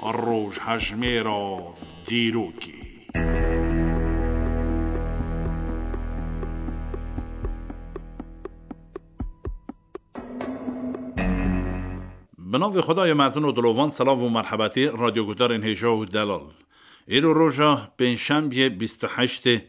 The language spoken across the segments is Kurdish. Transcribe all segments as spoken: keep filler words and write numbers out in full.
Rojhejmêra dîrokê. Bi navê Xwedayê mezin û dilovan, selav û merhebetî radyoguhdarên hêja û delal. Îro roja pêncşembiyê bîst û heştê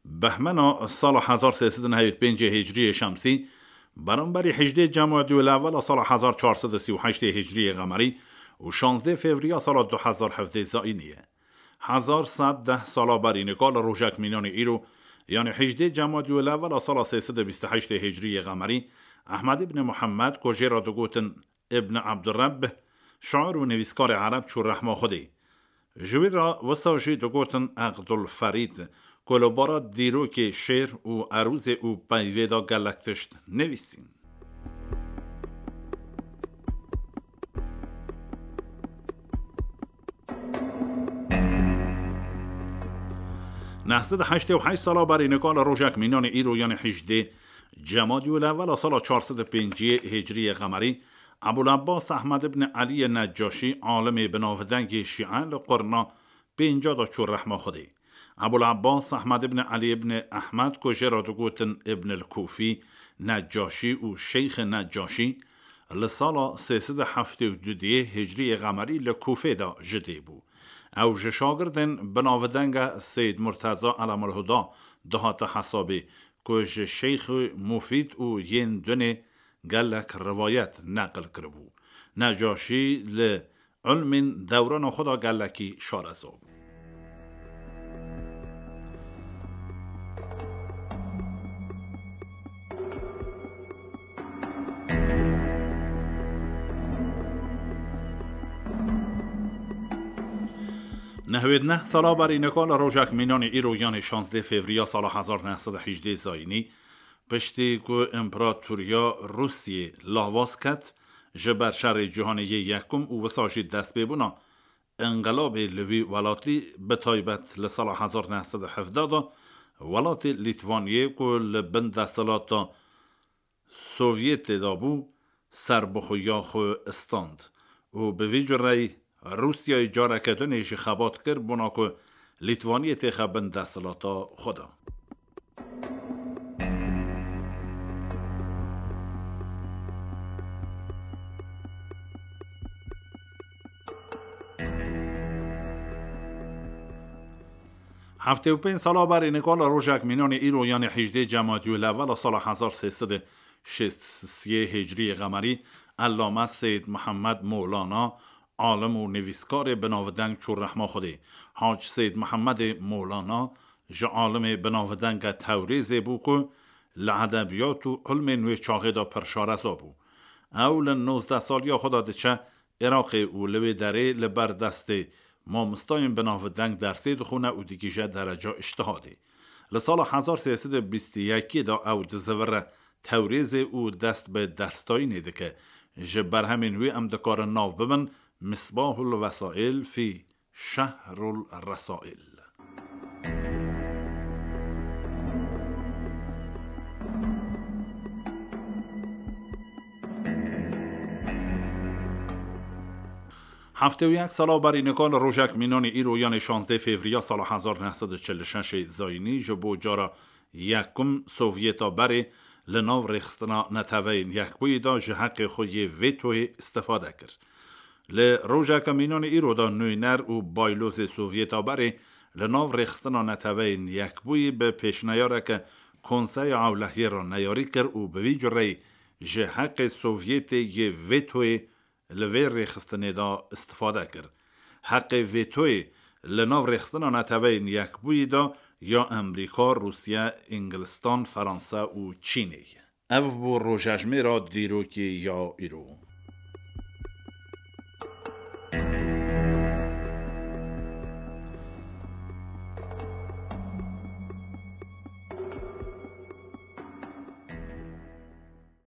Behmena sala hezar sê sed û nehewî pêncê Hicriyê Şemsî, beramberî hejdê Cemadî û Lewela sala hezar çar sed û sî û heştê Hicriyê Qemerî û şazdê Fevriya sala du hezar hevdê Zayînî ye. Hezar sed deh sala berî nika li rojek mînanê îro, yanî hejdê Cemadî û Lewela sala sê sed û bîst û heştê Hicriyê Qemerî, Ehmed ibn Muhammed, ku jê re digotin Ibn Abdurrebb, şair û nivîskarê ereb çû rehma Xwedê. Ji wî re wisa jî digotin Eqdul Ferîd, ku li bara dîrokê, şêr û erûzê û peyvê de gelek tişt nivîsîn. Neh sed û heştê û heşt sala berî nika li rojek mînanê îro, yanî hejdê Cemadî û Lewela sala çar sed û pêncî Hicriyê Qemerî, Ebul Abbas Ehmed ibn Eliyê Neccaşî, alimê binavdengê Şîe, li qurna pênca de çû rehma Xwedê. Ebul Abbas Ehmed ibn Elî ibn Ehmed, ku jê re digotin Ibn el-Kûfî, Neccaşî û Şeyxê Neccaşî, li sala sê sed û heftê û du diyê Hicriyê Qemerî li Kûfê de ji dê bû. Ew ji şagirdên binavdenge Seyyid Murteza Elemulhuda dihate hesabê, ku ji Şeyxê Mufîd û yên dunê gelek rivayet neqil kiribû. Necaşî li ilmên dewrana xwe de gelekî şareza bû. Nehwêd neh sala berî nika li rojek mînanê îro, yanê şazdê Fevriya sala hezar neh sed û hejdê Zayînî, piştî ku Împaratoriya Rûsiyê lawaz ket ji ber şerê cîhanê yê yekum û wisa jî destpêbûna înqilabê li wî welatî, bi taybet li sala hezar neh sed û hevdeh de welatê Lîtvaniyê, ku li bin desthilata Sovyetê de bû, serbixweya xwe stand û bi vî cureyî Rûsyayê careke din jî xebat kir, bona ku Lîtvaniyê têxe bin desthilata xwe de. Heftê û pênc sala berî nika li rojek mînanê îro, yanê hejdê Cemadî û Lewela sala hezar sê sed û şêst siyê Hicriyê Qemerî, Ellame Seyyid Mihemed Molana, alim û nivîskarê binavdeng çû rehma Xwedê. Hac Seyyid Mihemedê Molana ji alimê binavdenge Tewrêzê bû ku li edebiyat û ilmên wê çaxê de pir şareza bû. Ew li nozdeh saliya xwe de diçe Iraqê û li wê derê li ber destê mamostayên binavdeng dersê dixwîne û digihîje dereca îctihadê. Li sala hezar sê sed û bîst û yekê de ew dizivire Tewrêzê û dest bi dersdayînê dike. Ji berhemên wî em dikarin nav bibin Misbahul Vesail fî Şehrul Resail. Heftê û yek sala berî nika li rojek mînanê îro, yanê şazdeh Fevriya sala hezar neh sed û çil û şeş Zayînî, ji bo cara yekum Sovyeta berê li nav Rêxistina Neteweyên Yekbûyî de ji heqê xwe yê vetoyê îstifade kir. Li rojeke mînanê îro de nûner û baylozê Sovyeta berê li nav Rêxistina Neteweyên Yekbûyî bi pêşneyareke Konseya Ewlehiyê re neyarî kir û bi vî cureyî ji heqê Sovyetê yê vetoyê li vê rêxistinê de îstifade kir. Heqê vetoyê li nav Rêxistina Neteweyên Yekbûyî de ya Amerîka, Rûsya, Îngilistan, Feransa û Çînê ye. Ev bû rojejmêra dîrokê ya îro.